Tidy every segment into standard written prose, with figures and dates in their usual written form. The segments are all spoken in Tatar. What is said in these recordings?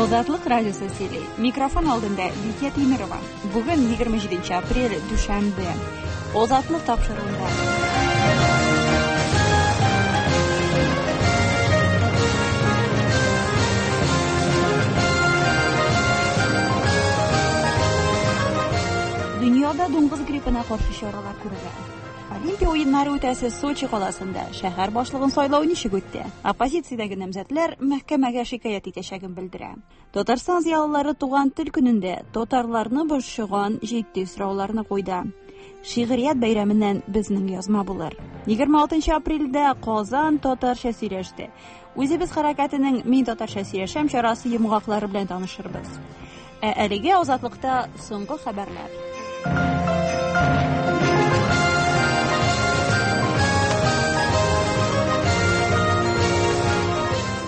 Азатлык радиосы сөйли. Микрофон алдында Лидия Тимирова. Бүген 27 апрель, дүшәмбе. Азатлык тапшыруында. Дөньяда дуңгыз гриппына каршы чаралар күрелә. Олимпия уеннары үтәсе Сочи каласында шәһәр башлыгын сайлау ничек үтте? Оппозициядәге намзәтләр мәхкәмәгә шикаять итәчәген белдерә. Татарстан зыялылары туган тел көнендә татарларны борчыган җитди сорауларны куйды. Шигърият бәйрәменнән безнең язма булыр. 26 апрельдә Казан татарча сөйләште. Үзебез хәрәкәтенең Мин татарча сөйләшәм чарасы йомгаклары белән танышырбыз. Ә әлегә Азатлыкта соңгы хәбәрләр.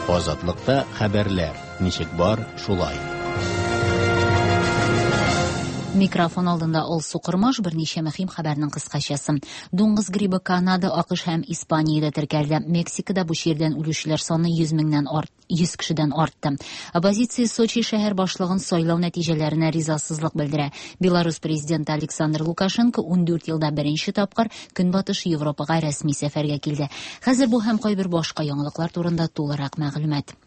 Азатлыкта хәбәрләр. Ничек бар, шулай. Микрофон алдында Алсу Кормаш, берничә мөһим хәбәрнең кыскачасы. Дуңгыз грибы Канада, АКШ һәм Испаниядә теркәлде. Мексикада бу чирдән үлүчеләр саны 100 меңнән арт, 100 кешедән артты. Оппозиция Сочи шәһәр башлыгын сайлау нәтиҗәләренә ризасызлык белдерә. Беларусь президенты Александр Лукашенко 14 елда беренче тапкыр Көнбатыш Европага рәсми сәфәргә килде. Хәзер бу һәм кайбер башка яңалыклар турында тулырак мәгълүмат.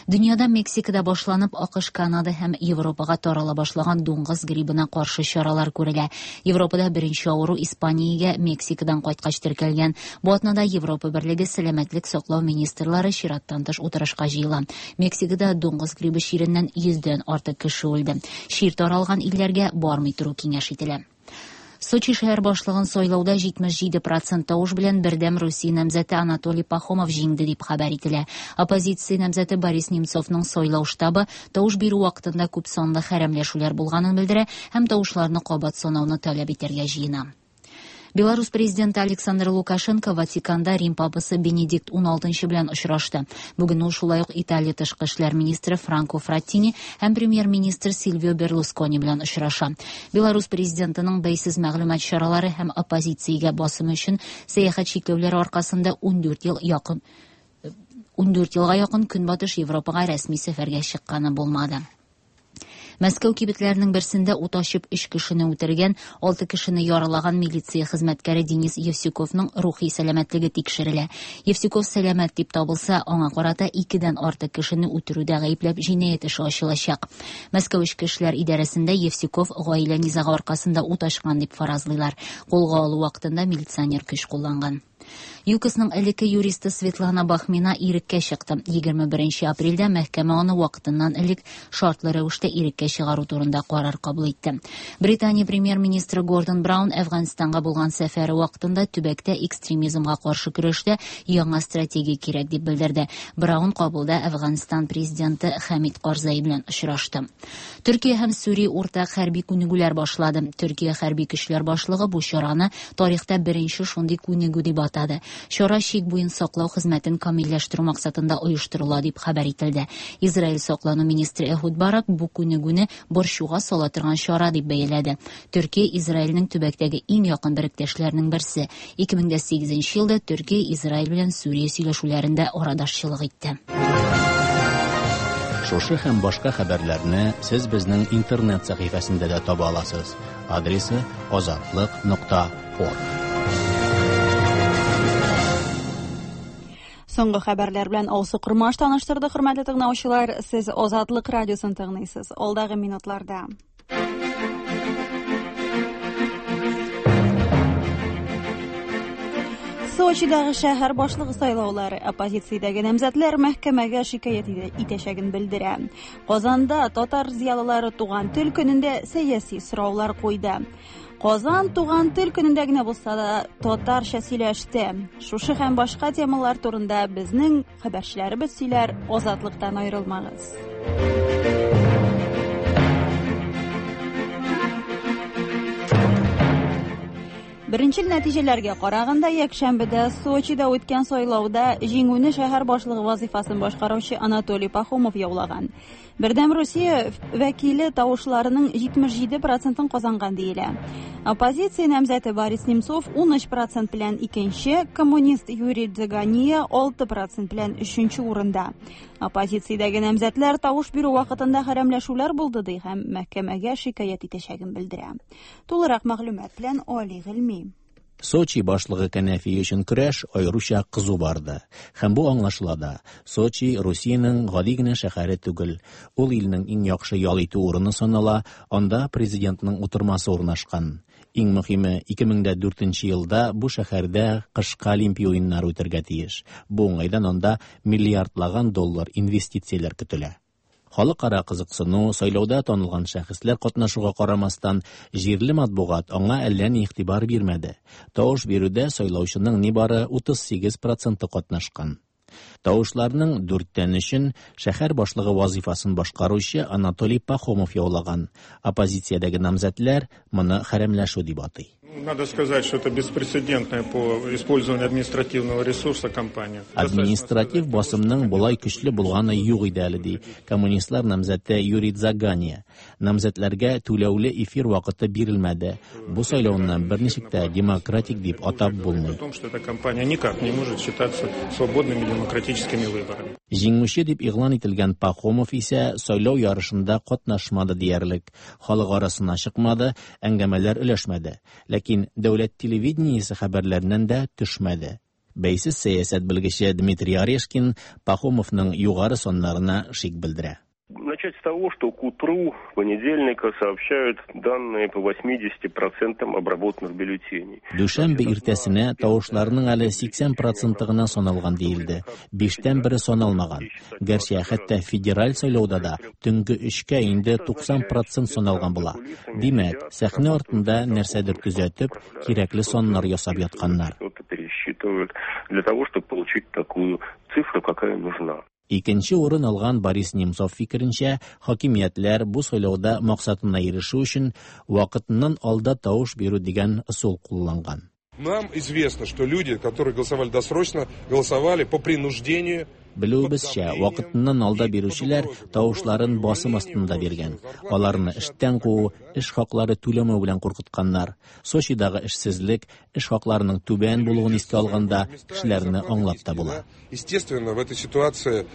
Дөньяда Мексикада башланып, АКШ, Канада һәм Европага тарала башлаган дуңгыз грибына каршы чаралар күрелә. Европада беренче авыру Испаниягә Мексикадан кайткач теркәлгән. Бу атнада Европа Берлеге сәламәтлек саклау министрлары чираттан тыш утырышка җыела. Мексикада дуңгыз грибы чиреннән 100дән артык кеше үлде. Чир таралган илләргә бармый тору киңәш ителә. Сочи шәһәр башлыгын сайлауда 77% тавыш белән Бердәм Русия намзәте Анатолий Пахомов җиңде дип хәбәр ителә. Оппозиция намзәте Борис Немцовның сайлау штабы тавыш бирү вакытында күп санлы хәрәмләшүләр булганын белдерә һәм тавышларны кабат санауны таләп итәргә җыена. Беларусь президенты Александр Лукашенко Ватиканда Рим папасы Бенедикт XVI белән очрашты. Бүген ул шулай ук Италия тышкы эшләр министры Франко Фраттини һәм премьер-министр Сильвио Берлускони белән очраша. Беларусь президентының бәйсез мәгълүмат чаралары һәм оппозициягә басым өчен сәяхәт чикләүләре аркасында 14 ел якын 14 елга якын Көнбатыш Европага рәсми сәфәргә чыкканы булмады. Мәскәү кибетләренең берсендә ут ачып 3 кешене үтергән, 6 кешене яралаган милиция хезмәткәре Денис Евсюковның рухи сәламәтлеге тикшерелә. Евсюков сәламәт дип табылса, аңа карата 2дән артык кешене үтерүдә гаепләп җинаять эше ачылачак. Мәскәү эчке эшләр идарәсендә Евсюков гаилә низагы аркасында ут ачкан дип фаразлыйлар. Кулга алу вакытында милиционер көч кулланган. ЮКОСның элекке юристы Светлана Бахмина иреккә чыкты. 21 апрельдә мәхкәмә аны вакытыннан элек шартлы рәвештә иреккә чыгару турында карар кабул итте. Британия премьер-министры Гордон Браун Әфганстанга булган сәфәре вакытында төбәктә экстремизмга каршы көрәштә яңа стратегия кирәк дип белдерде. Браун Кабулда Әфганстан президенты Хәмид Карзай белән очрашты. Төркия һәм Сүрия уртак хәрби күнегүләр башлады. Төркия хәрби көчләр башлыгы бу чараны тарихта беренче шундый күнегү дип атады. Чара чик буен саклау хезмәтен камилләштерү максатында оештырыла дип хәбәр ителде. Израиль саклану министры Эхуд Барак бу күнегүне борчуга сала торган чара дип бәяләде. Төркия Израильнең төбәктәге иң якын беректәшләренең берсе. 2008 елда Төркия Израиль белән Сүрия сөйләшүләрендә арадашчылык итте. Шушы һәм башка хәбәрләрне сез безнең интернет сәхифәсендә дә таба аласыз. Адресы azatliq.org. Соңгы хәбәрләр белән Алсу Кормаш таныштырды, хөрмәтле тыңлаучылар. Сез Азатлык радиосын тыңлыйсыз. Алдагы минутларда. Сочидагы шәһәр башлыгы сайлаулары оппозициядәге намзәтләр мәхкәмәгә шикаять итәчәген белдерә. Казанда татар зыялылары туган тел көнендә сәяси сораулар куйды. Казан туган тел көнендә генә булса да татарча сөйләште. Шушы һәм башка темалар турында безнең хәбәрчеләребез сөйләр. Азатлыктан аерылмагыз. Беренчел нәтиҗәләргә караганда, якшәмбедә Сочида үткән сайлауда җиңүне шәһәр башлыгы вазыйфасын башкаручы Анатолий Пахомов яулаган. Бердәм Русия вәкиле тавышларының 77 процентын казанган диелә. Оппозиция намзәте Борис Немцов 13 процент белән икенче, коммунист Юрий Дзагания 6 процент белән өченче урында. Оппозициядәге намзәтләр тавыш бирү вакытында хәрәмләшүләр булды ди һәм мәхкәмәгә шикаять итәчәген белдерә. Тулырак мәгълүмат белән Али Гыйльми. Сочи башлыгы кәнәфие өчен көрәш аеруча кызу барды. Һәм бу аңлашыла да. Сочи Русиянең гади генә шәһәре түгел. Ул илнең иң яхшы ял итү урыны санала, анда президентның утырмасы урнашкан. Иң мөһиме, 2004 елда бу шәһәрдә кышкы Олимпия уеннары үтәргә тиеш. Бу уңайдан анда миллиардлаган доллар инвестицияләр көтелә. Халыкара кызыксыну, сайлауда танылган шәхесләр катнашуга карамастан, җирле матбугат аңа әллә ни игътибар бирмәде. Тавыш бирүдә сайлаучының нибары 38 проценты катнашкан. Тавышларның дүрттән өчен шәһәр башлыгы вазыйфасын башкаручы Анатолий Пахомов яулаган. Оппозициядәге намзәтләр моны хәрәмләшү дип атый. Надо сказать, что это беспрецедентная по использованию административного ресурса кампания. Административ басымның болай көчле булганы юк иде әле, ди коммунистлар намзәте Юрий Дзагания. Намзәтләргә түләүле эфир вакыты бирелмәде. Бу сайлауны берничек тә демократик дип атап булмый. О том, что эта кампания никак не может считаться свободными демократическими выборами. Җиңүче дип игълан ителгән Пахомов исә сайлау ярышында катнашмады диярлек. Халык арасына чыкмады, әңгәмәләр өләшмәде. Ләкин дәүләт телевидениесе хәбәрләреннән дә төшмәде. Бәйсез сәясәт белгече Дмитрий Орешкин Пахомовның югары саннарына шик белдерә. Начать с того, что к утру понедельника сообщают данные по 80% обработанных бюллетеней. Дүшәмбе иртәсенә тавышларның әле 80 проценты гына саналган диелде. Биштән бере саналмаган. Гәрчә хәтта федераль сайлауда да төнге өчкә инде 90 процент саналган була. Димәк, сәхнә артында нәрсәдер төзәтеп, кирәкле саннар ясап ятканнар. Что-то пересчитывают для того, чтобы получить такую цифру, какая нужна. Икенче урын алган Борис Немцов фикеренчә, хакимиятләр бу сайлауда максатына ирешү өчен вакытыннан алда тавыш бирү дигән ысул кулланган. Нам известно, что люди, которые голосовали досрочно, голосовали по принуждению. Белүебезчә, вакытыннан алда бирүчеләр тавышларын басым астында биргән. Аларны эштән куу, эш хаклары түләмәү белән куркытканнар. Сочидагы эшсезлек, эш хакларының түбән булуын искә алганда, кешеләрне аңлап та була. Естественно, в этой ситуации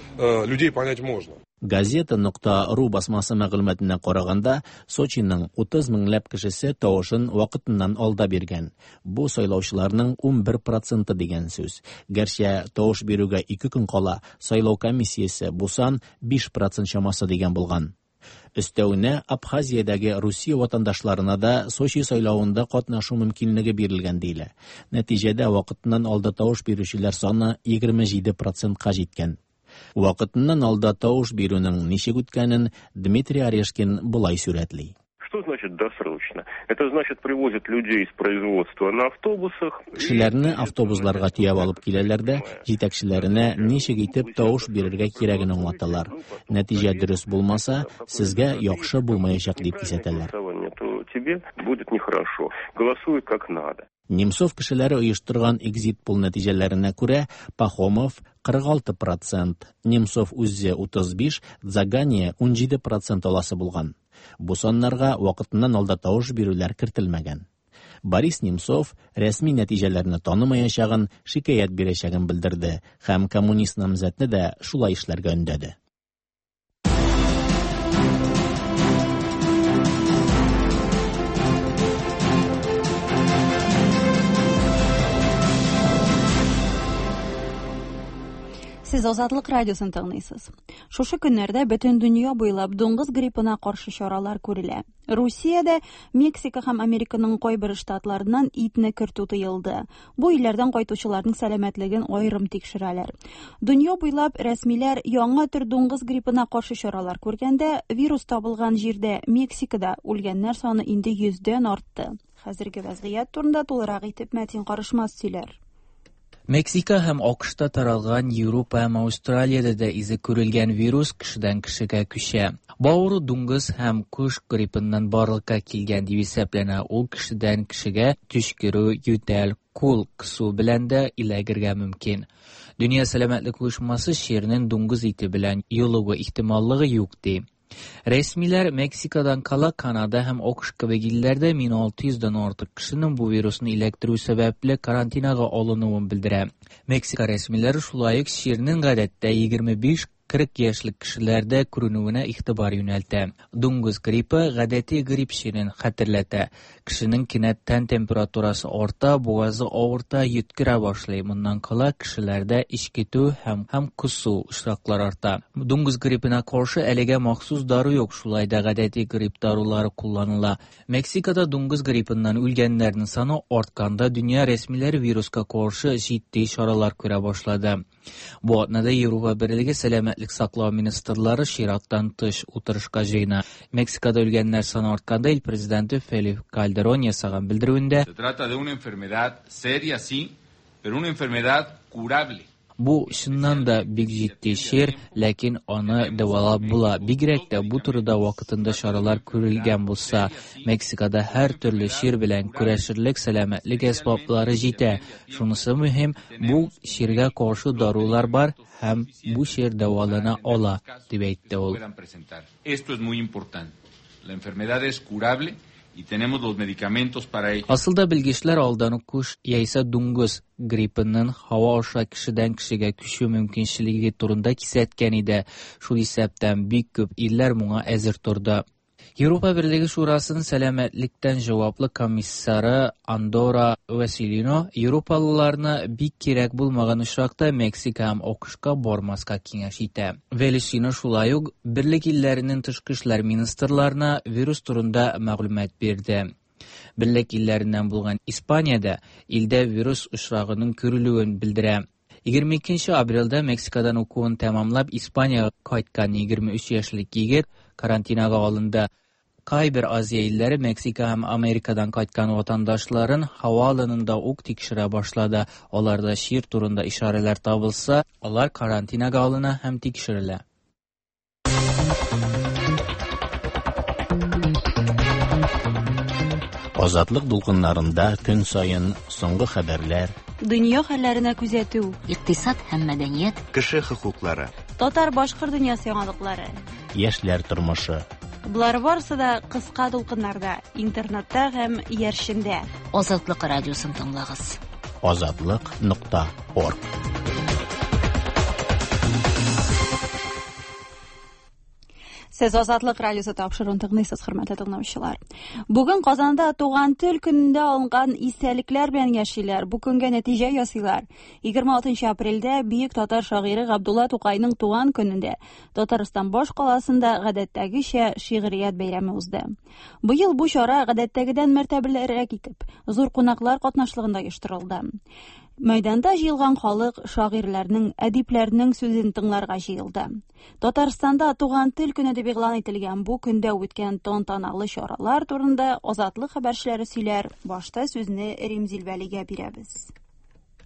людей понять можно. Газета нокта ру басмасы мәгълүматына караганда, Сочиның 30 меңләп кешесе тавышын вакытыннан алда биргән. Бу сайлаучыларның 11 проценты дигән сүз. Гәрчә тавыш бирүгә 2 көн кала сайлау комиссиясе бу сан 5 процент чамасы дигән булган. Өстәвенә Абхазиядәге Русия ватандашларына да Сочи сайлавында катнашу мөмкинлеге бирелгән диелә. Нәтиҗәдә вакытыннан алда тавыш бирүчеләр саны 27 процентка җиткән. Вакытыннан алда тавыш бирүнең ничек үткәнен Дмитрий Орешкин болай сурәтли. Что значит досрочно? Это значит, привозят людей из производства на автобусах. Кешеләрне автобусларга төяп алып киләләр дә, җитәкчеләренә ничек итеп тавыш бирергә кирәген аңлаталар. Нәтиҗә дөрес булмаса, сезгә яхшы булмаячак дип кисәтәләр. То тебе будет нехорошо. Голосуй как надо. Немцов кешеләре оештырган экзит-пол нәтиҗәләренә күрә, Пахомов 46 процент, Немцов үзе 35, Дзагания 17 процент аласы булган. Бу саннарга вакытыннан алда тавыш бирүләр кертелмәгән. Борис Немцов рәсми нәтиҗәләрне танымаячагын, шикаять бирәчәген белдерде һәм коммунист намзәтне дә шулай эшләргә өндәде. Сез Азатлык радиосын тыңлыйсыз. Шушы көннәрдә бөтен дөнья буйлап дуңгыз гриппына каршы чаралар күрелә. Русиядә Мексика һәм Американың кайбер штатларыннан итне кертү тыелды. Бу илләрдән кайтучыларның сәламәтлеген аерым тикшерәләр. Дөнья буйлап рәсмиләр яңа төр дуңгыз гриппына каршы чаралар күргәндә, вирус табылган җирдә Мексикада үлгәннәр саны инде 100дән артты. Хәзерге вазгыять турында тулырак итеп Мәтин Карышмас сөйләр. Мексика һәм АКШта таралган, Европа һәм Аустралиядә дә изе күрелгән вирус кешедән кешегә күчә. Бу авыру дуңгыз һәм кош гриппыннан барлыкка килгән дип исәпләнә. Ул кешедән кешегә төчкерү, ютәл, кул кысу белән дә эләгергә мөмкин. Дөнья сәламәтлек оешмасы чирнең дуңгыз ите белән йолыгу ихтималлыгы юк ди. Рәсмиләр Мексикадан кала Канада һәм АКШ кебек илләрдә 1600 дән артык кешенең бу вирусны эләктерү сәбәпле карантинага алынуын белдерә. Мексика рәсмиләре шулай ук чирнең гадәттә 25-40 яшьлек кешеләрдә күренүенә игътибар юнәлтә. Дуңгыз гриппы гадәти грипп чирен хәтерләтә. Кешенең кинәт тән температурасы арта, бугазы авырта, йөткерә башлый. Моннан кала кешеләрдә эчкетү һәм һәм косу очраклары арта. Дуңгыз гриппына каршы әлегә махсус дару юк, шулай да гадәти грипп дарулары кулланыла. Мексикада дуңгыз гриппыннан үлгәннәрнең саны артканда дөнья рәсмиләре вируска каршы җитди чаралар күрә башлады. Бу атнада Европа Берлеге сәламәтлек саклау министрлары чираттан тыш утырышка җыена. Мексикада үлгәннәр саны артканда ил президенты Фелип Кальдерон ясаган белдерүендә Se trata de una enfermedad seria, sí, pero una enfermedad curable. Бу чыннан да бик җитди чир, ләкин аны дәвалап була. Бигрәк тә бу турыда вакытында чаралар күрелгән булса. Мексикада һәр төрле чир белән көрәшерлек сәламәтлек әсбаплары җитә. Шунысы мөһим, бу чиргә каршы дарулар бар һәм бу чир дәвалана ала, дип әйтте ул. Puedan presentar. Esto es muy importante. La enfermedad es curable y tenemos los medicamentos para ello. Асылда белгечләр алдан ук кош яисә дуңгыз гриппының һава аша кешедән кешегә күчү мөмкинчелеге турында кисәткән иде. Шул исәптән бик күп илләр моңа әзер торды. Европа Берлеге Шурасының сәламәтлектән җаваплы комиссары Андора Василино европалыларны бик кирәк булмаган очракта Мексика һәм АКШка бармаска киңәш итә. Велишино шулай ук Берлек илләренең тышкы эшләр министрларына вирус турында мәгълүмат бирде. Берлек илләреннән булган Испаниядә илдә вирус очрагының күрелүен белдерә. 22 апрельдә Мексикадан укуын тәмамлап Испаниягә кайткан 23 яшьлек егет карантинага алынды. Кайбер Азия илләре Мексика һәм Америкадан кайткан ватандашларын һава аланында ук тикшерә башлады. Аларда чир турында ишарәләр табылса, алар карантинага алына һәм тикшерелә. Азатлык дулкыннарында көн саен соңгы хәбәрләр, Дөнья хәлләренә күзәтү, Икътисад һәм мәдәният, Кеше хокуклары. татар-башкорт дөньясы яңалыклары. яшьләр тормышы. Болар барысы да кыска дулкыннарда, интернетта һәм иярчендә. Азатлык радиосын тыңлагыз. Азатлык.орг. Сез Азатлык радиосы тапшыруын тыңлыйсыз, хөрмәтле тыңлаучылар. Бүген Казанда туган тел көнендә алынган истәлекләр белән яшиләр. Бу көнгә нәтиҗә ясыйлар. 26 апрельдә бөек татар шагыйре Габдулла Тукайның туган көнендә Татарстан баш каласында гадәттәгечә шигърият бәйрәме узды. Быел бу чара гадәттәгедән мәртәбәлерәк итеп, зур кунаклар катнашлыгында оештырылды. Мәйданда җыелган халык шагыйрьләрнең, әдипләрнең сүзен тыңларга җыелды. Татарстанда туган тел көне дип игълан ителгән бу көндә үткән тантаналы чаралар турында Азатлык хәбәрчеләре сөйләр. Башта сүзне Римзил Вәлигә бирәбез.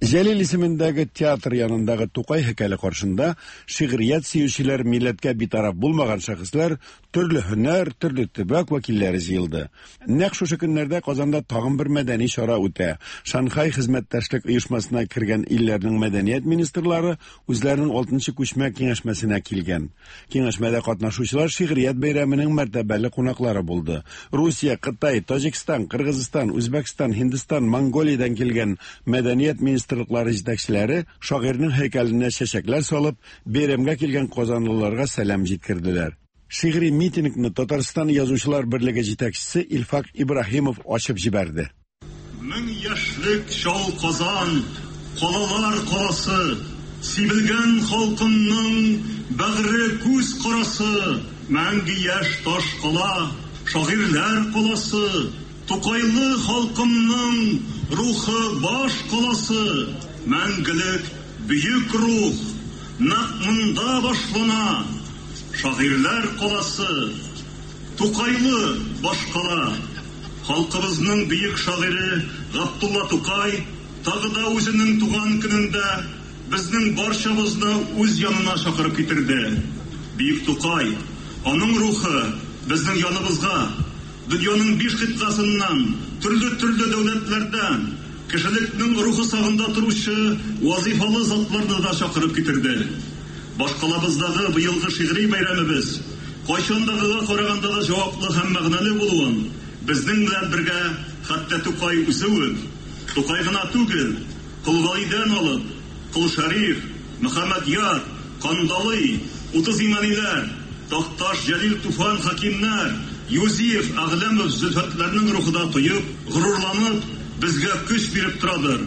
Җәлил исемендәге театр янындагы Тукай һәйкәле каршында шигърият сөючеләр, милләткә битараф булмаган шәхесләр, төрле һөнәр, төрле төбәк вәкилләре җыелды. Нәкъ шушы көннәрдә Казанда тагын бер мәдәни чара үтә. Шанхай хезмәттәшлек оешмасына кергән илләрнең мәдәният министрлары үзләренең 6нчы күчмә киңәшмәсенә килгән. Киңәшмәдә катнашучылар шигърият бәйрәменең мәртәбәле кунаклары булды. Русия, Кытай, Таҗикстан, Кыргызстан, Үзбәкстан, Һиндстан, Монголиядән килгән мәдәният министрлыклары җитәкчеләре шагыйрьнең һәйкәленә чәчәкләр салып, бәйрәмгә килгән казанлыларга сәлам җиткерделәр. Шигъри митингны Татарстан Язучылар берлеге җитәкчесе Илфак Ибраһимов ачып җибәрде. Мең яшьлек чал Казан, калалар каласы, сибелгән халкымның бәгъре күз карасы, мәңге яшь таш кала, шагыйрьләр каласы, Тукайлы халкымның рухы баш каласы, мәңгелек бөек рух нәкъ монда башлана, шагыйрьләр каласы, Тукайлы башкала. Халкыбызның бөек шагыйре Габдулла Тукай тагы да үзенең туган көнендә безнең барчабызны үз янына чакырып китерде. Бөек Тукай, аның рухы безнең яныбызга, дөньяның биш кыйтгасыннан, төрле-төрле дәүләтләрдән, кешелекнең рухы сагында торучы вазыйфалы затларны да чакырып китерде. Башкалабыздагы быелгы шигъри бәйрәмебез кайчандагыга караганда да җаваплы һәм мәгънәле булуын безнең белән бергә хәтта Тукай үзе үк, Тукай гына түгел, Кол Галидән алып, Кол Шәриф, Мөхәммәдьяр, Кандалый, 30 Имәниләр, Такташ, Җәлил, Туфан, Хәкимнәр, Юзиев, Әгъләмов, Зөлфәтләрнең рухы да тоеп, горурланып, безгә көч биреп торадыр.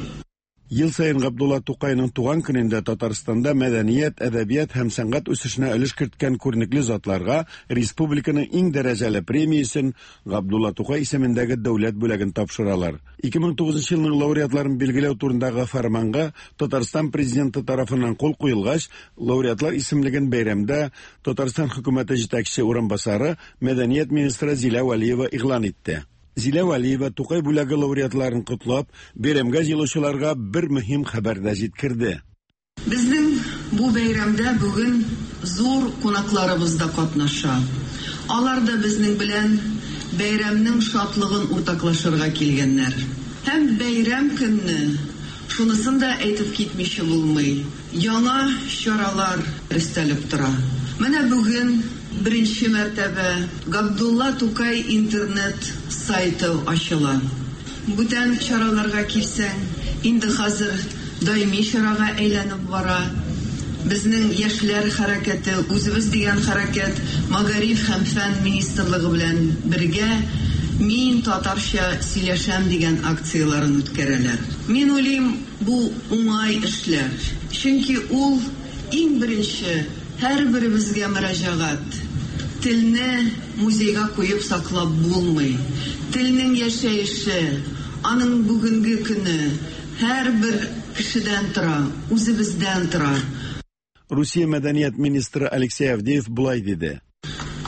Ел саен Габдулла Тукайның туган көнендә Татарстанда мәдәният, әдәбият һәм сәнгать үсешенә өлеш керткән күренекле затларга республиканың иң дәрәҗәле премиясен Габдулла Тукай исемендәге дәүләт бүләген тапшыралар. 2009 елның лауреатларын билгеләү турындагы фәрманга Татарстан президенты тарафыннан кул куелгач, лауреатлар исемлеген бәйрәмдә Татарстан хөкүмәте җитәкче урынбасары, мәдәният министры Зилә Вәлиева игълан итте. Зилә Вәлиева Тукай бүләге лауреатларын котлап, бәйрәмгә җыелучыларга бер мөһим хәбәр дә җиткерде. Безнең бу бәйрәмдә бүген зур кунакларыбыз да катнаша. Алар да безнең белән бәйрәмнең шатлыгын уртаклашырга килгәннәр. Һәм бәйрәм көнне, шунысын да әйтеп китмичә булмый, яңа чаралар өстәлеп тора. Менә бүген беренче мәртәбә Габдулла Тукай интернет сайты ачыла. Бүтән чараларга килсәң, инде хәзер даими чарага әйләнеп бара. Безнең яшьләр хәрәкәте, үзебез дигән хәрәкәт Мәгариф һәм фән министрлыгы белән бергә Мин татарча сөйләшәм дигән акцияләрен үткәрәләр. Мин уйлыйм, бу уңай эшләр. Чөнки ул иң беренче һәрберебезгә мөрәҗәгать. Телне музейга куеп саклап булмый. Телнең яшәеше, аның бүгенге көне һәрбер кешедән тора, үзебездән тора. Русия мәдәният министры Алексей Авдеев болай диде.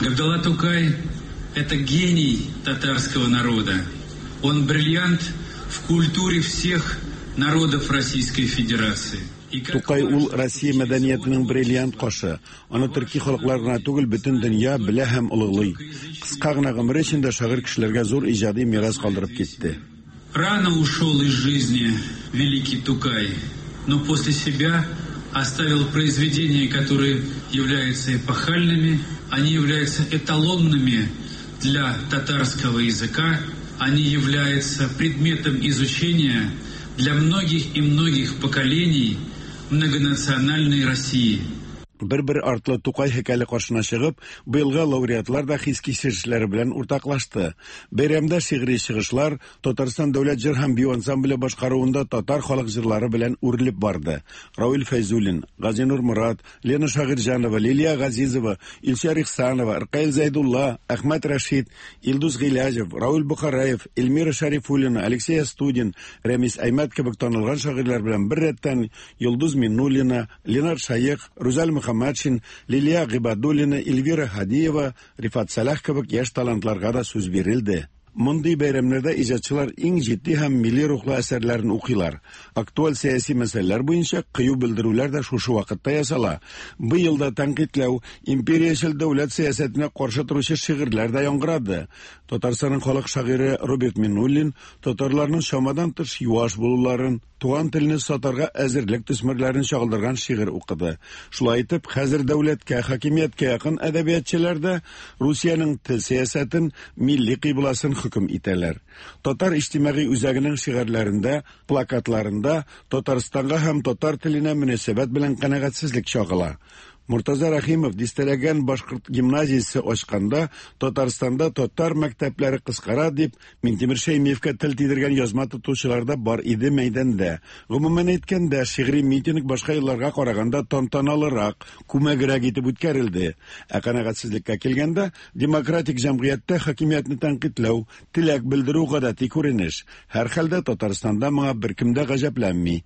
Габдулла Тукай – это гений татарского народа. Он бриллиант в культуре всех народов Российской Федерации. Тукай ул Россия мәдәниятенең бриллиант кашы. Аны төрки халыклар гына түгел, бөтен дөнья белә һәм олуглый. Кыска гына гомере эчендә шагыйрь кешеләргә зур иҗади мирас калдырып китте. Рано ушел из жизни великий Тукай, но после себя оставил произведения, которые являются эпохальными, они являются эталонными для татарского языка, они являются предметом изучения для многих и многих поколений многонациональной России. Бер-бер артлы Тукай һәйкәле каршына чыгып, быелгы лауреатлар да хис-кичерешләре белән уртаклашты. Бәйрәмдә шигъри чыгышлар Татарстан дәүләт җыр һәм бию ансамбле башкаруында татар халык җырлары белән үрелеп барды. Равил Фәйзуллин, Газинур Морат, Лена Шагыйрьҗанова, Лилия Газизова, Илсөяр Ихсанова, Ркаил Зәйдулла, Әхмәт Рәшит, Илдус Гыйләҗев, Равил Бухараев, Эльмира Шәрифуллина, Алексей Остудин, Рәмис Аймәт кебек танылган шагыйрьләр белән беррәттән Йолдыз Миннуллина, Ленар Шәех, Рүзәл Мөхәммәтшин, Лилия Гыйбадуллина, Эльвира Һадиева, Рифат Сәлах кебек яшь талантларга да сүз бирелде. Мондый бәйрәмнәрдә иҗатчылар иң җитди һәм милли рухлы әсәрләрен укыйлар. Актуаль сәяси мәсьәләләр буенча кыю белдерүләр дә шушы вакытта ясала. Быел да тәнкыйтьләү, империячел дәүләт сәясәтенә каршы торучы шигырьләр дә яңгырады. Татарстанның халык шагыйре Роберт Миннуллин татарларның чамадан тыш юаш булуларын, туган телне сатарга әзерлек төсмерләрен чагылдырган шигырь укыды. Шулай итеп, хәзер дәүләткә, хакимияткә якын әдәбиятчылар да Русиянең тел сәясәтен, милли кыйбласын хөкем итәләр. Татар иҗтимагый үзәгенең шигарьләрендә, плакатларында Татарстанга һәм татар теленә мөнәсәбәт белән канәгатьсезлек чагыла. Мортаза Рәхимов дистәләгән башкорт гимназиясе ачканда Татарстанда татар мәктәпләре кыскара дип Минтимер Шәймиевкә тел тидергән язма тотучылар да бар иде мәйданда. Гомумән әйткәндә, шигъри митинг башка елларга караганда тантаналырак, күмәгрәк итеп үткәрелде. Ә канәгатьсезлеккә килгәндә, демократик җәмгыятьтә хакимиятне тәнкыйтьләү, теләк белдерү гадәти күренеш. Һәрхәлдә Татарстанда моңа беркем дә гаҗәпләнми.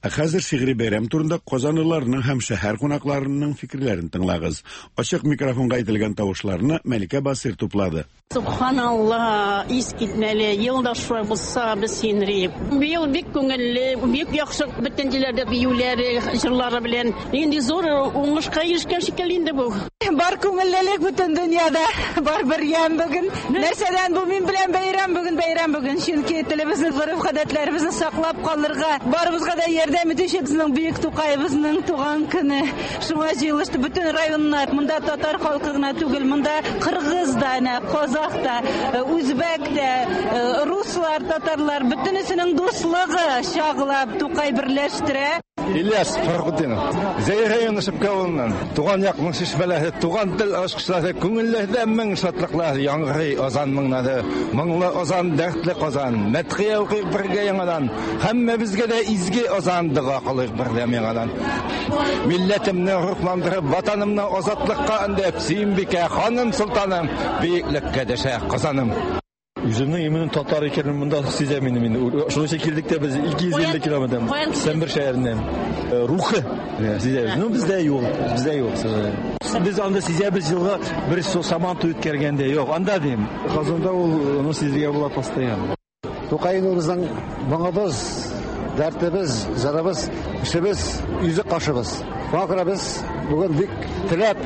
Ә хәзер шигъри бәйрәм турында казанлыларның һәм шәһәр кунакларының фикерләрен тыңлагыз. Ачык микрофонга әйтелгән тавышларны Мәликә Басыйр туплады. Субханалла, искитмәле, ел да шулай булса, без сөенер. Быел бик күңелле, бик яхшы бөтен җирләрдә биюләре, җырлары белән. Нинди зур уңышка ирешкән шикелле инде бу. Бар күңеллелек бөтен дөньяда, бар бер ямь бүген. Нәрсәдән бу мин белән бәйрәм бүген, бәйрәм бүген. Чөнки телебезне, гореф-гадәтләребезне саклап калырга, барыбызга да ярдәм итүче безнең бөек Тукаебызның туган көне. Шуңа җыелышты бөтен районнар. Монда татар халкы гына түгел, монда кыргыз да, әнә, казах та, үзбәк тә, руслар, татарлар, бөтенесенең дуслыгы чагыла, Тукай берләштерә. Ильяс Фәрхетдинов. Зәй районы Шепкә авылыннан. Туган якның чишмәләре, туган тел ачкычлары, күңелләрдә мең шатлыклар яңгырый азан моңнары. Моңлы азан, дәртле Казан. Мәдхия укыйк бергә яңадан. Һәммәбезгә дә изге азан, дога кылыйк бердәм яңадан. Милләтемне рухландырып, ватанымны азатлыкка өндәп, Сөембикә, ханым, солтаным, бөеклеккә дәшә Казаным. Үземнең именно татар икәнен монда сизәм инде мин. Шуның өчен килдек тә без 250 километр. Сембер шәһәреннән. Рухы сизәбез. Ну, бездә юк, бездә юк, к сожалению. Без анда сизәбез елга бер сабан туй үткәргәндә. Юк, анда дим. Казанда ул аны сизергә була постоянно. Тукай безнең моңыбыз, дәртебез, җырыбыз, эшебез, йөзек кашыбыз. Шуңа күрә без бүген бик теләп,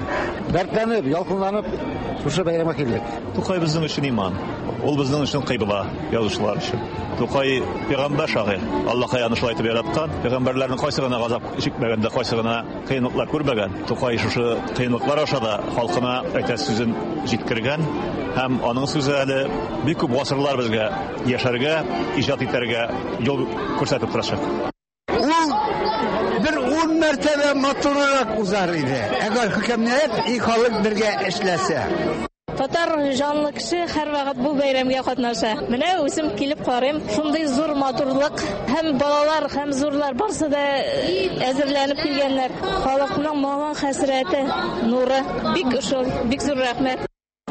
дәртләнеп, ялкынланып шушы бәйрәмгә килдек. Тукай безнең өчен иман. Ул безнең өчен кыйбла, язучылар өчен. Тукай пәйгамбәр шагыйрь. Аллаһ аны шулай итеп яраткан. Пәйгамбәрләрнең кайсы гына газап чикмәгән дә, кайсы гына кыенлыклар күрмәгән. Тукай шушы кыенлыклар аша да халкына әйтәсе сүзен җиткергән һәм аның сүзе әле бик күп гасырлар безгә яшәргә, иҗат итәргә юл күрсәтеп торачак. Ул бер 10 мәртәбә матуррак узар иде, әгәр хөкемнәр и халык бергә эшләсә. Татар җанлы кеше һәрвакыт бу бәйрәмгә катнаша. Менә үзем килеп карыйм, шундый зур матурлык, һәм балалар, һәм зурлар барсы да әзерләнеп килгәннәр. Халыкның моңы, хәсрәте, нуры. Бик шул, бик зур рәхмәт.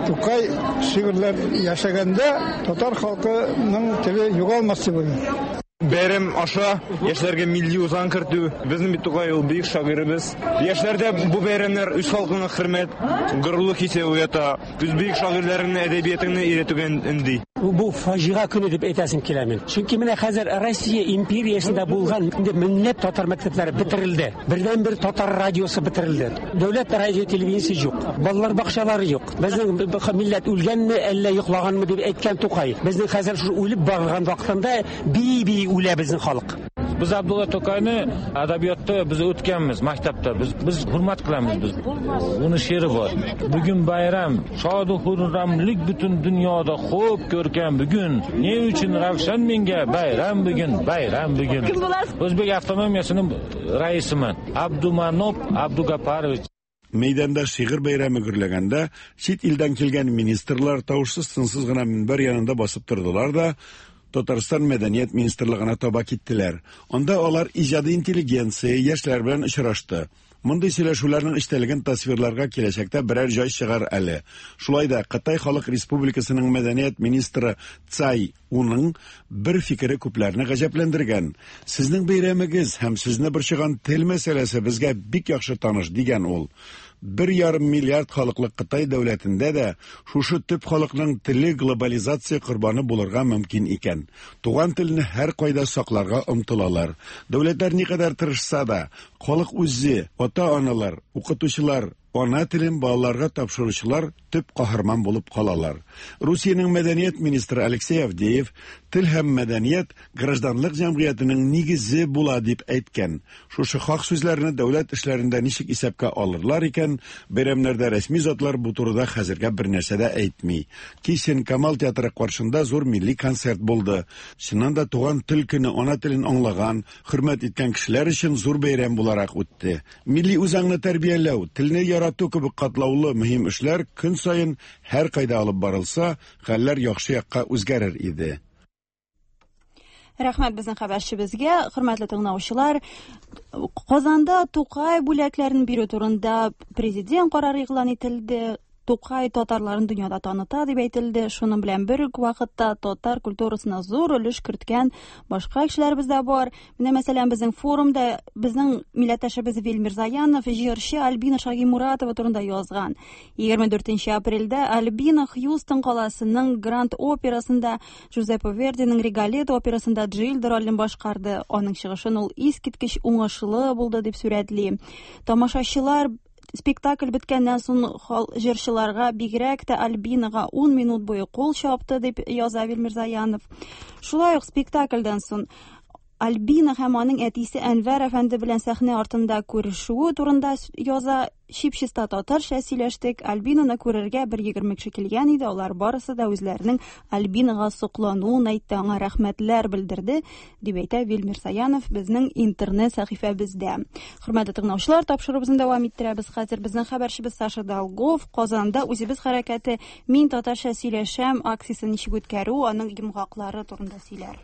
Тукай шигырьләр яшәгәндә татар халкының теле югалмас дип уйлыйм. Бәйрәм аша яшьләргә милли үзаң кертү. Безнең бит Тукай ул бөек шагыйребез. Яшьләрдә бу бәйрәмнәр үз халкыңа хөрмәт, горурлык хисе уята, үз бөек шагыйрьләреңне, әдәбиятыңны өйрәтүгә өнди. Бу фаҗига көне дип әйтәсем килә мин. Чөнки менә хәзер Россия империясендә булган инде меңләп татар мәктәпләре бетерелде. Бердәнбер татар радиосы бетерелде. Дәүләт радио телевидениесе юк. Балалар бакчалары юк. Безнең милләт үлгәнме, әллә йоклаганмы дип әйткән Тукай. Безнең хәзер шушы үлеп барган вакытында бии-бии үлә безнең халык. Biz Abdulla To'qayni adabiyotda biz o'tganmiz maktabda. Biz hurmat qilamiz biz. Uni she'ri bor. Bugun bayram, shodu xurramlik butun dunyoda xo'p ko'rkam bugun. Ne uchun ravshan menga bayram bugun, bayram bugun. Kim bo'lasiz? O'zbek avtonomiyasining raisiman. Abdumanop Abdugaparovich. Мәйданда шигырь бәйрәме гөрләгәндә, чит илдән килгән министрлар тавышсыз-тынсыз гына минбәр янында басып тордылар да, Татарстан мәдәният министрлыгына таба киттеләр. Анда алар иҗади интеллигенция, яшьләр белән очрашты. Мондый сөйләшүләрнең эчтәлеген тасвирларга киләчәктә берәр җай чыгар әле. Шулай да Кытай Халык Республикасының мәдәният министры Цай Уның бер фикере күпләрне гаҗәпләндергән. Сезнең бәйрәмегез һәм сезне борчыган тел мәсьәләсе безгә бик яхшы таныш, дигән ул. 1,5 миллиард халыклы Кытай дәүләтендә дә шушы төп халыкның теле глобализация корбаны булырга мөмкин икән. Туган телне һәркайда сакларга омтылалар. Дәүләтләр никадәр тырышса да, халык үзе, ата-аналар, укытучылар, ана телен балаларга тапшыручылар төп каһарман булып калалар. Русиянең мәдәният министры Алексей Авдеев тел һәм мәдәният гражданлык җәмгыятенең нигезе була дип әйткән. Шушы хак сүзләрне дәүләт эшләрендә ничек исәпкә алырлар икән, бәйрәмнәрдә рәсми затлар бу турыда хәзергә бер нәрсә дә әйтми. Кичен Камал театры каршында зур милли концерт булды. Чыннан да туган тел көне ана телен аңлаган, хөрмәт иткән кешеләр өчен зур бәйрәм буларак үтте. Милли үзаңны тәрбияләү, телне ярату кебек катлаулы мөһим эшләр көн саен һәркайда алып барылса, хәлләр яхшы якка үзгәрер иде. Рәхмәт безнең хәбәрчебезгә, хөрмәтле тыңлаучылар. Казанда Тукай бүләкләрен бирү турында президент карары игълан ителде. Тукай татарларын дөньяда таныта дип әйтелде. Шуның белән бер үк вакытта татар культурасына зур өлеш керткән башка кешеләребез дә бар. Менә мәсәлән, безнең форумда безнең милләттәшебез Вил Мирзаянов җырчы Альбина Шагимуратова турында язган. 24 апрельдә Альбина Хьюстон каласының Гранд операсында Джузеппе Вердиның Риголетто операсында Джильда ролен башкарды. Аның чыгышын ул искиткеч уңышлы булды дип сурәтли. Тамашачылар спектакль беткәннән соң җырчыларга, бигрәк тә Альбинага 10 минут буе кул чапты дип яза Вил Мирзаянов. Шулай ук спектакльдән соң Альбина һәм аның әтисе Әнвәр әфәнде белән сәхнә артында күрешүе турында яза. Чип-чиста татарча сөйләштек. Альбинаны күрергә бер 20 кеше килгән иде. Алар барысы да үзләренең Альбинага соклануын әйтте, аңа рәхмәтләр белдерде, дип әйтә Вил Мирсаянов безнең интернет сәхифәбездә. Хөрмәтле тыңлаучылар, тапшыруыбызны дәвам иттерәбез. Хәзер безнең хәбәрчебез Саша Долгов Казанда Үзебез хәрәкәте Мин татарча сөйләшәм акциясен ничек үткәрү, аның йомгаклары турында сөйләр.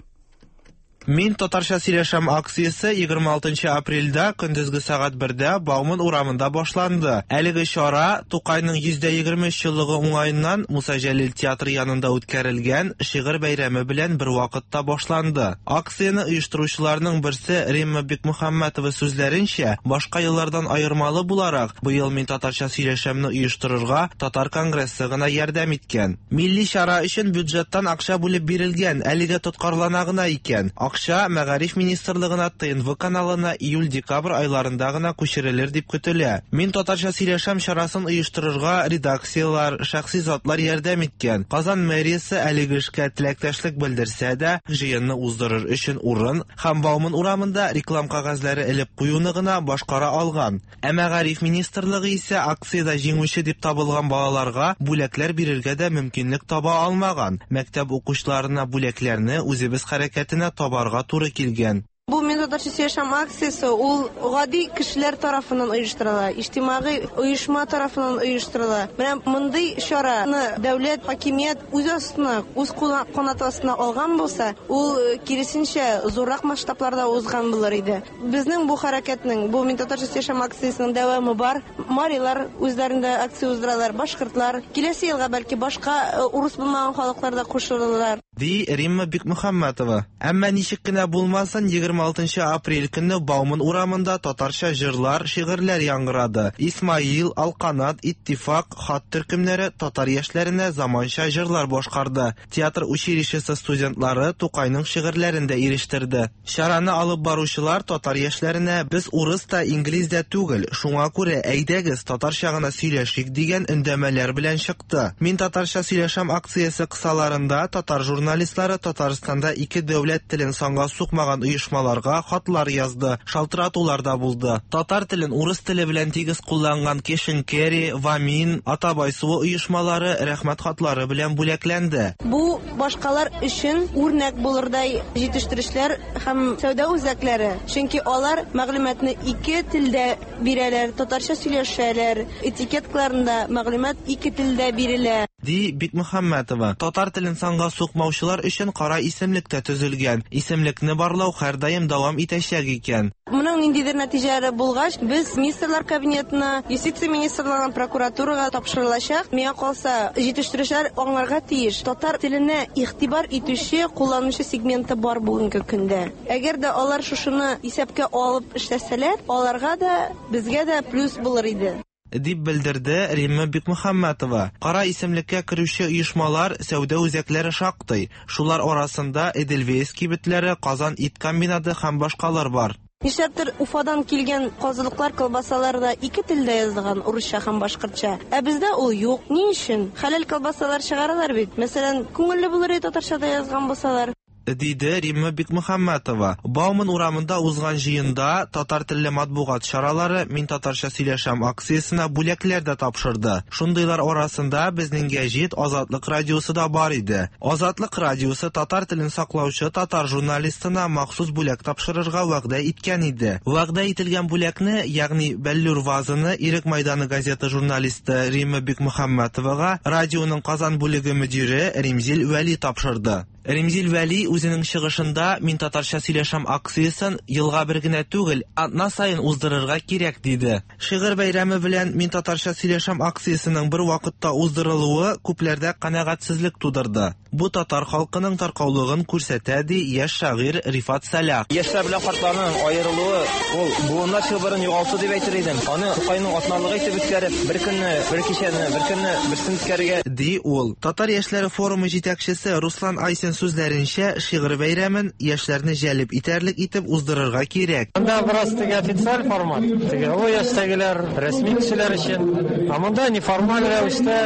Мин татарча сөйләшәм акциясе 26 апрельдә көндезге сәгать 1дә Бауман урамында башланды. Әлеге чара Тукайның 123 еллыгы уңаеннан Муса Җәлил театры янында үткәрелгән шигырь бәйрәме белән бер вакытта башланды. Акцияне оештыручыларның берсе Римма Бикмөхәммәтова сүзләренчә, башка еллардан аермалы буларак, быел Мин татарча сөйләшәмне оештырырга Татар конгрессы гына ярдәм иткән. Милли чара өчен бюджеттан акча бүлеп бирелгән, әлегә тоткарлана гына икән. Акча Мәгариф министрлыгына ТНВ каналына июль-декабрь айларында гына күчерелер дип көтелә. Мин татарча сөйләшәм чарасын оештырырга редакцияләр, шәхси затлар ярдәм иткән. Казан мэриясе әлеге эшкә теләктәшлек белдерсә дә, җыенны уздырыр өчен урын һәм Бауман урамында реклам кәгазьләре элеп куюны гына башкара алган. Ә Мәгариф министрлыгы исә акциядә җиңүче дип табылган балаларга бүләкләр бирергә дә мөмкинлек таба алмаган. Мәктәп укучыларына бүләкләрне Үзебез хәрәкәтенә табарга туры килгән. Бу Мин татарча сөйләшәм акциясе ул гади кешеләр тарафыннан оештырыла, иҗтимагый оешма тарафыннан оештырыла. Менә мондый чараны дәүләт, хакимият үз астына, үз канаты астына алган булса, ул киресенчә зуррак масштабларда узган булыр иде. Безнең бу хәрәкәтнең, бу Мин татарча сөйләшәм акциясенең дәвамы бар. Марилар үзләрендә акция уздыралар, башкортлар. Киләсе елга бәлки башка э, урыс булмаган халыклар да кушылырлар. Ди Римма Бикмөхәммәтова. Әмма ничек кенә булмасын, 26 апрель көнне Бауман урамында татарча җырлар, шигырьләр яңгырады. Исмаил, Алканат, Иттифак, Хат төркемнәре татар яшьләренә заманча җырлар башкарды. Театр училищесы студентлары Тукайның шигырьләрен дә ирештерде. Чараны алып баручылар татар яшьләренә без урыс та, инглиз дә түгел, шуңа күрә, әйдәгез, татарча гына сөйләшик дигән өндәмәләр белән чыкты. Мин татарча сөйләшәм акциясе кысаларында татар журналистлары Татарстанда ике дәүләт телен санга сукмаган оешмаларга хатлар язды, шалтыратулар да булды. Татар телен урыс теле белән тигез кулланган Кешенкери, Вамин, Атабай суы оешмалары рәхмәт хатлары белән бүләкләнде. Бу башкалар өчен үрнәк булырдай җитештерүчеләр һәм сәүдә үзәкләре, чөнки алар мәгълүматны ике телдә бирәләр, татарча сөйләшәләр, этикеткаларында мәгълүмат ике телдә бирелә. Ди Бикмөхәммәтова. Татар телен санга сукмаучылар өчен кара исемлек тә төзелгән. Исемлекне барлау һәрдаим дәвам итәчәк икән. Моның ниндидер нәтиҗәләре булгач, без Министрлар Кабинетына, Юстиция министрлыгына, прокуратурага тапшырылачак. Миңа калса, җитештерүчеләр аңларга тиеш, татар теленә игътибар итүче, кулланучы сегменты бар бүгенге көндә. Әгәр дә алар шушыны исәпкә алып эшләсәләр, аларга да, безгә дә плюс булыр иде. Дип белдерде Римма Бикмөхәммәтова. Кара исемлеккә керүче оешмалар, сәүдә үзәкләре шактый. Шулар арасында Эдельвейс кибетләре, Казан ит комбинаты һәм башкалар бар. Нишләптер Уфадан килгән казылыклар, колбасалар да ике телдә язылган, урысча һәм башкортча. Ә бездә ул юк. Ни өчен? Хәләл колбасалар чыгаралар бит. Мәсәлән, күңелле булыр иде татарча да язган булсалар. Диде Римма Бикмөхәммәтова. Бауман урамында узган җыенда татар телле матбугат чаралары Мин татарча сөйләшәм акциясенә бүләкләр дә тапшырды. Шундыйлар арасында безнең гәҗит Азатлык радиосы да бар иде. Азатлык радиосы татар телен саклаучы татар журналистына махсус бүләк тапшырырга вәгъдә иткән иде. Вәгъдә ителгән бүләкне, ягъни бәллүр вазаны Ирек майданы газеты журналисты Римма Бикмөхәммәтовага радионың Казан бүлеге мөдире Римзил Вәли тапшырды. Римзил Вәли үзенең чыгышында Мин татарча сөйләшәм акциясен елга бер генә түгел, атна саен уздырырга кирәк диде. Шигырь бәйрәме белән Мин татарча сөйләшәм акциясенең бер вакытта уздырылуы күпләрдә канәгатьсезлек тудырды. Бу татар халкының таркаулыгын күрсәтә, ди яшь шагыйрь Рифат Сәлах. Яшьләр белән картларның аерылуы ул буыннар чылбырын югалту дип әйтер идем. Аны Тукайның атналыгы итеп үткәреп, бер көнне бер кичәне, бер көнне берсен үткәрергә. Ди ул. Татар яшьләре форумы җитәкчесе Руслан Айсин сүзләренчә, шигырь бәйрәмен яшьләрне җәлеп итәрлек итеп уздырырга кирәк. Монда бераз теге официаль формат, теге олы яшьтәгеләр, рәсми кешеләр өчен. Ә монда неформаль рәвештә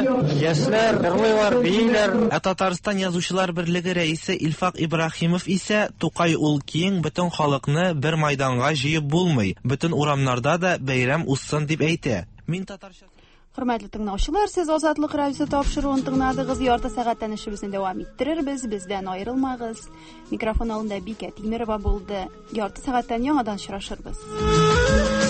яшьләр җырлыйлар, бииләр. Ә Татарстан Язучылар берлеге рәисе Илфак Ибраһимов исә, Тукай ул киң, бөтен халыкны бер майданга җыеп булмый, бөтен урамнарда да бәйрәм узсын дип әйтә. Мин татарча. Хөрмәтле тыңлаучылар, сез Азатлык радиосы тапшыруын тыңладыгыз. Ярты сәгатьтән эшебезне дәвам иттерербез. Бездән аерылмагыз. Микрофон алдында Бикә Тимерова булды. Ярты сәгатьтән яңадан очрашырбыз.